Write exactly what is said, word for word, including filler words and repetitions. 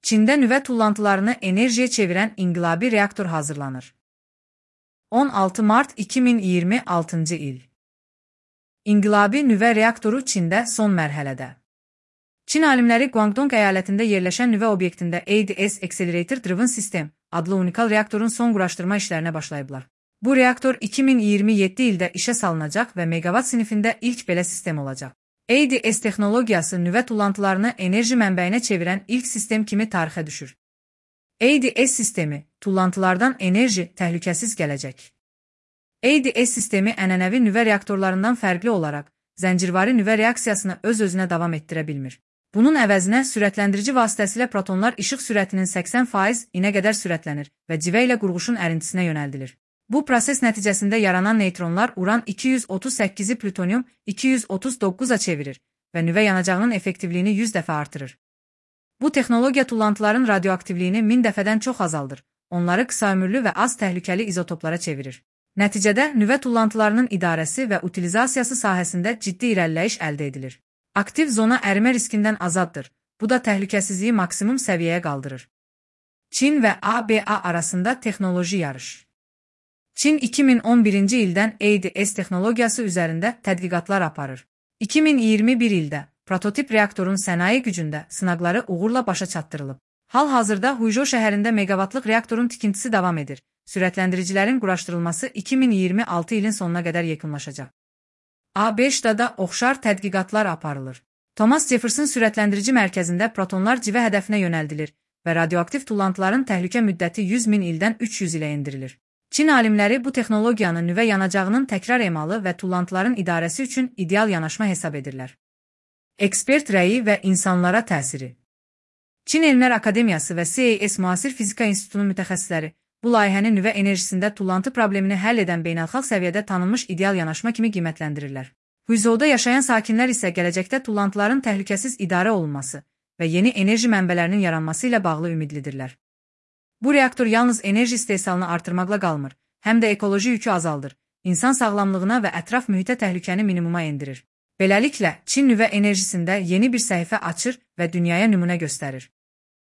Çində nüvə tullantılarını enerjiyə çevirən inqilabi reaktor hazırlanır. on altı mart iki min iyirmi altıncı il. İnqilabi nüvə reaktoru Çində son mərhələdə. Çin alimləri Guangdong əyalətində yerləşən nüvə obyektində A D S Accelerator Driven System adlı unikal reaktorun son quraşdırma işlərinə başlayıblar. Bu reaktor iki min iyirmi yeddi ildə işə salınacaq və megawatt sinifində ilk belə sistem olacaq. A D S texnologiyası nüvə tullantılarını enerji mənbəyinə çevirən ilk sistem kimi tarixə düşür. A D S sistemi, tullantılardan enerji təhlükəsiz gələcək. A D S sistemi ənənəvi nüvə reaktorlarından fərqli olaraq, zəncirvari nüvə reaksiyasını öz-özünə davam etdirə bilmir. Bunun əvəzinə sürətləndirici vasitəsilə protonlar işıq sürətinin səksən faizinə qədər sürətlənir və civə ilə qurğuşun ərintisinə yönəldilir. Bu proses nəticəsində yaranan neytronlar uran iki yüz otuz səkkizi plütonium iki yüz otuz doqquza çevirir və nüvə yanacağının effektivliyini yüz dəfə artırır. Bu texnologiya tullantıların radioaktivliyini min dəfədən çox azaldır, onları qısa ömürlü və az təhlükəli izotoplara çevirir. Nəticədə nüvə tullantılarının idarəsi və utilizasiyası sahəsində ciddi irəliləyiş əldə edilir. Aktiv zona ərimə riskindən azaddır, bu da təhlükəsizliyi maksimum səviyyəyə qaldırır. Çin və A B A arasında texnoloji yarış. Çin iki min on birinci ildən A D S texnologiyası üzərində tədqiqatlar aparır. iki min iyirmi bir ildə prototip reaktorun sənaye gücündə sınaqları uğurla başa çatdırılıb. Hal-hazırda Huizhou şəhərində megawatlıq reaktorun tikintisi davam edir. Sürətləndiricilərin quraşdırılması iki min iyirmi altı ilin sonuna qədər yekunlaşacaq. A B Ştada oxşar tədqiqatlar aparılır. Thomas Jefferson sürətləndirici mərkəzində protonlar civə hədəfinə yönəldilir və radioaktiv tullantıların təhlükə müddəti yüz min ildən üç yüz ilə endirilir. Çin alimləri bu texnologiyanı nüvə yanacağının təkrar emalı və tullantıların idarəsi üçün ideal yanaşma hesab edirlər. Ekspert rəyi və insanlara təsiri. Çin Elmlər Akademiyası və C A S Müasir Fizika İnstitutunun mütəxəssisləri bu layihəni nüvə enerjisində tullantı problemini həll edən beynəlxalq səviyyədə tanınmış ideal yanaşma kimi qiymətləndirirlər. Huizhouda yaşayan sakinlər isə gələcəkdə tullantıların təhlükəsiz idarə olunması və yeni enerji mənbələrinin yaranması ilə bağlı ümidlidirlər. Bu reaktor yalnız enerji istehsalını artırmaqla qalmır, həm də ekoloji yükü azaldır, insan sağlamlığına və ətraf mühitə təhlükəni minimuma endirir. Beləliklə, Çin nüvə enerjisində yeni bir səhifə açır və dünyaya nümunə göstərir.